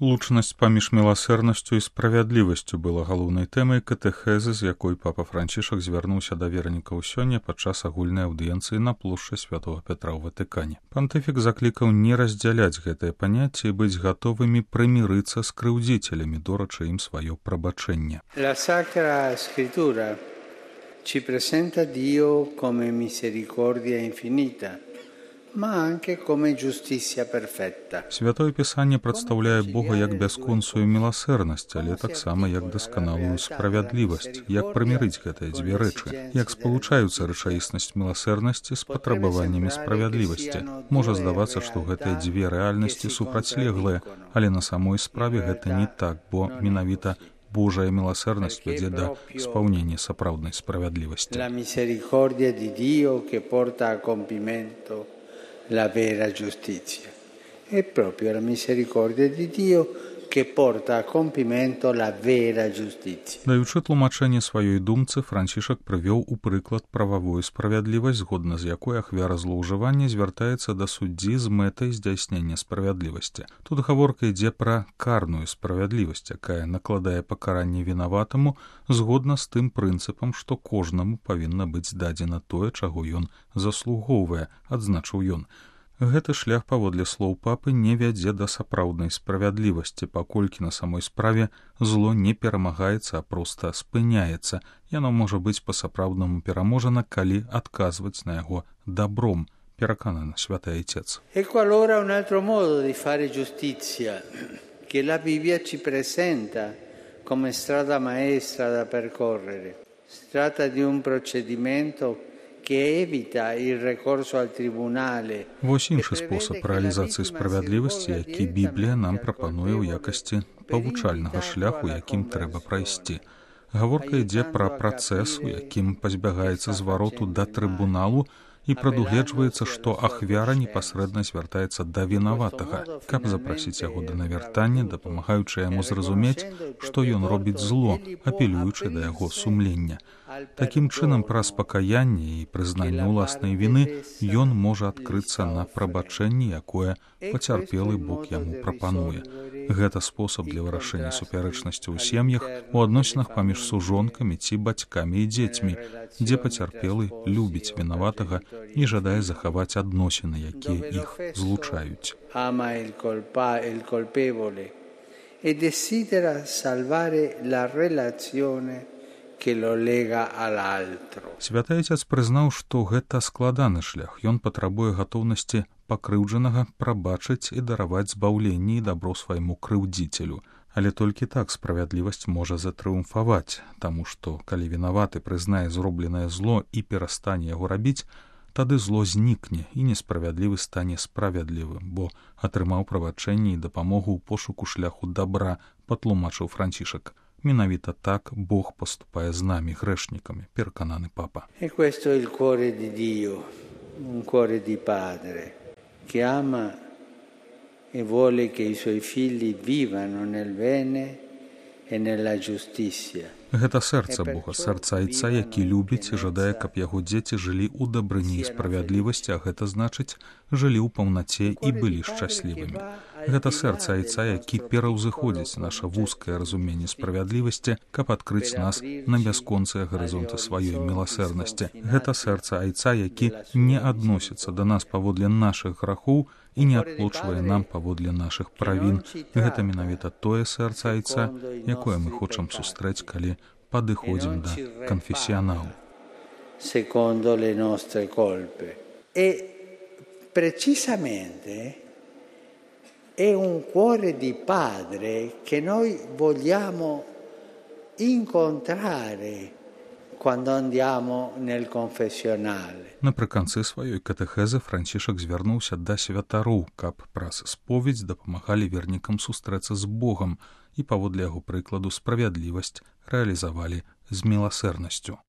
Лучнасць паміж міласэрнасцю і справядлівасцю была галоўнай тэмай катэхезы, з якой папа Францішак звярнуўся да вернікаў сёння падчас агульнай аўдыенцыі на плошчы Святога Петра ў Ватыкане. Пантыфік заклікаў не раздзяляць гэтае паняцце і быць гатовымі прымірыцца з крыўдзіцелямі, дорачы ім сваё прабачэнне. La Sacra Scrittura ci presenta Dio come misericordia infinita, ma anche come giustizia perfetta. Святое Пісанне прадстаўляе Бога як бясконцую міласэрнасць, але таксама як дасканалую справядлівасць, як прымірыць гэтыя дзве рэчы, як спалучаюцца рэчаіснасць міласэрнасці з патрабаваннямі справядлівасці. Можа здавацца, што гэтыя дзве рэальнасці супрацьлеглыя, але на самой справе гэта не так, бо менавіта Божая міласэрнасць вядзе да спаўнення сапраўднай справядлівасці. La misericordia di Dio che porta a compimento la vera giustizia. È proprio la misericordia di Dio che porta a compimento la vera giustizia. Даючы тлумачэнне сваёй думцы, Францішак прывёў у прыклад прававую справядлівасць, згодна з якой ахвяра злоўжывання звяртаецца да суддзі з мэтай здзяйснення справядлівасці. Тут гаворка ідзе пра карную справядлівасць, якая накладае пакаранне вінаватаму згодна з тым прынцыпам, што кожнаму павінна быць дадзена тое, чаго ён заслугоўвае, адзначыў ён. Гэты шлях, паводле слоў папы, не вядзе да сапраўднай справядлівасці, паколькі на самой справе зло не перамагаецца, а проста спыняецца. Яно можа быць па-сапраўднаму пераможана, калі адказваць на яго добром, перакананы святы Айцец. Ecco allora un altro modo di fare giustizia che la Bibbia ci presenta come strada maestra da percorrere. Si tratta di un procedimento che evita il ricorso al tribunale. Вось іншы спосаб рэалізацыі справядлівасці, які Біблія нам прапануе ў якасці павучальнага шляху, якім трэба прайсці. Гаворка ідзе пра працэс, у якім пазбягаецца звароту да трыбуналу, і прадугледжваецца, што ахвяра непасрэдна звяртаецца да вінаватага, каб запрасіць яго да навяртання, дапамагаючы яму зразумець, што ён робіць зло, апелюючы да яго сумлення. Такім чынам, праз пакаянне і прызнанне ўласнай віны ён можа адкрыцца на прабачэнне, якое пацярпелы Бог яму прапануе. Гэта спосаб для вырашэння супярэчнасці ў сем'ях, у адносінах паміж сужонкамі ці бацькамі і дзецьмі, дзе пацярпелы любіць вінаватага і жадае захаваць адносіны, якія іх злучаюць. Ama il colpevole e desidera salvare la relazione que lo lega all'altro. Святы Айцец прызнаў, што гэта складаны шлях. Ён патрабуе гатоўнасці пакрыўджанага прабачыць і дараваць збаўленне і дабро свайму крыўдзіцелю. Але толькі так справядлівасць можа затрыумфаваць, таму што, калі вінаваты прызнае зробленае зло і перастане яго рабіць, тады зло знікне і несправядлівы стане справядлівым, бо атрымаў прабачэнне і дапамогу ў пошуку шляху добра, патлумачыў Францішак. Менавіта так Бог поступае з намі, грэшнікамі, перакананы папа. E questo è il cuore di Dio, un cuore di padre, che ama e vuole che i suoi figli vivano nel bene e nella giustizia. Гэта сэрца Бога, сэрца Айца, які любіць і жадае, каб яго дзеці жылі ў дабрыні і справядлівасці, а гэта значыць, жылі ў паўнаце і былі шчаслівымі. Гэта сэрца Айца, які пераўзыходзіць наша вузкае разуменне справядлівасці, каб адкрыць нас на бясконцыя гарызонты сваёй міласэрнасці. Гэта сэрца Айца, які не адносіцца да нас паводле нашых грахоў і не адплочвае нам паводле нашых правін. Гэта менавіта тое сэрца Айца, якое мы хочам сустрэць, калі падыходзім да канфесіяналу. Secondo le nostre colpe. E precisamente è un cuore di padre che noi vogliamo incontrare quando andiamo nel confessionale. Напрыканцы сваёй катэхезы Францішак звярнуўся да святароў, каб праз споведзь дапамагалі вернікам сустрэцца з Богам і паводле яго прыкладу справядлівасць рэалізавалі з міласэрнасцю.